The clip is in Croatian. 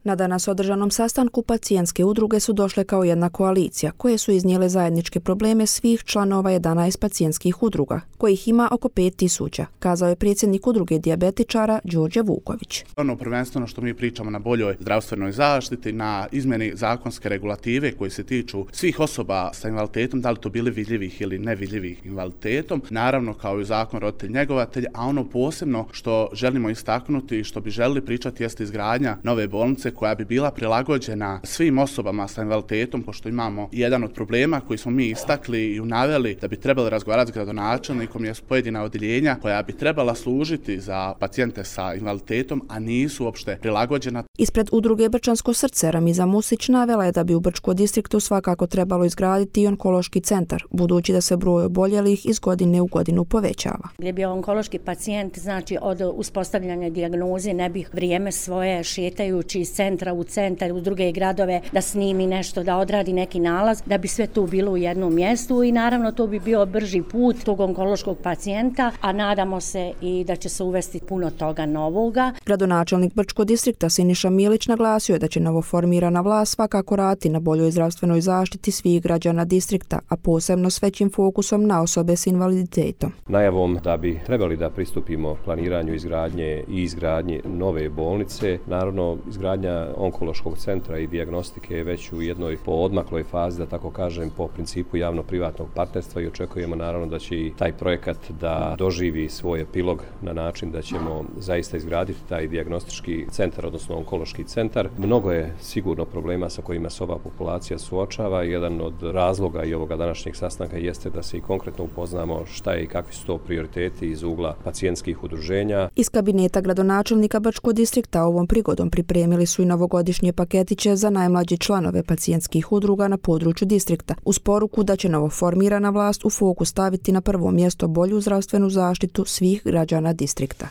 Na danas održanom sastanku pacijentske udruge su došle kao jedna koalicija, koje su iznijele zajedničke probleme svih članova 11 pacijentskih udruga, kojih ima oko 5000, kazao je predsjednik udruge dijabetičara Đorđe Vuković. Prvenstveno što mi pričamo na boljoj zdravstvenoj zaštiti, na izmjeni zakonske regulative koje se tiču svih osoba sa invaliditetom, da li to bili vidljivih ili nevidljivih invaliditetom, naravno kao i zakon roditelj-njegovatelj, a ono posebno što želimo istaknuti i što bi želili pričati jeste izgradnja nove bolnice koja bi bila prilagođena svim osobama sa invaliditetom, pošto imamo jedan od problema koji smo mi istakli i naveli da bi trebali razgovarati s gradonačelnikom, jesu pojedina odjeljenja koja bi trebala služiti za pacijente sa invaliditetom, a nisu uopšte prilagođena. Ispred udruge Brčansko srce Ramiza Musić navela je da bi u Brčkom distriktu svakako trebalo izgraditi i onkološki centar, budući da se broj oboljelih iz godine u godinu povećava. Gdje bi onkološki pacijent, znači od uspostavljanja dijagnoze, ne bi vrijeme svoje šetajući iz centra u centar, u druge gradove, da snimi nešto, da odradi neki nalaz, da bi sve tu bilo u jednom mjestu i naravno to bi bio brži put tog onkološkog pacijenta, a nadamo se i da će se uvesti puno toga novoga. Gradonačelnik Brčkog distrikta Siniša Milić naglasio je da će novoformirana vlast svakako raditi na boljoj zdravstvenoj zaštiti svih građana distrikta, a posebno s većim fokusom na osobe s invaliditetom. Najavom da bi trebali da pristupimo planiranju izgradnje nove bolnice, naravno izgradnja onkološkog centra i dijagnostike je već u jednoj poodmakloj fazi, da tako kažem, po principu javno-privatnog partnerstva i očekujemo naravno da će i taj projekat da doživi svoj epilog na način da ćemo zaista izgraditi taj dijagnostički centar, odnosno onkološki centar. Mnogo je sigurno problema sa kojima se ova populacija suočava. Jedan od razloga i ovoga današnjeg sastanka jeste da se i konkretno upoznamo šta je i kakvi su to prioriteti iz ugla pacijentskih udruženja. Iz kabineta gradonačelnika Brčkog distrikta ovom prigodom pripremili su i novogodišnje paketiće za najmlađe članove pacijentskih udruga na području distrikta, uz poruku da će novoformirana vlast u fokus staviti na prvo mjesto bolju zdravstvenu zaštitu svih građana distrikta.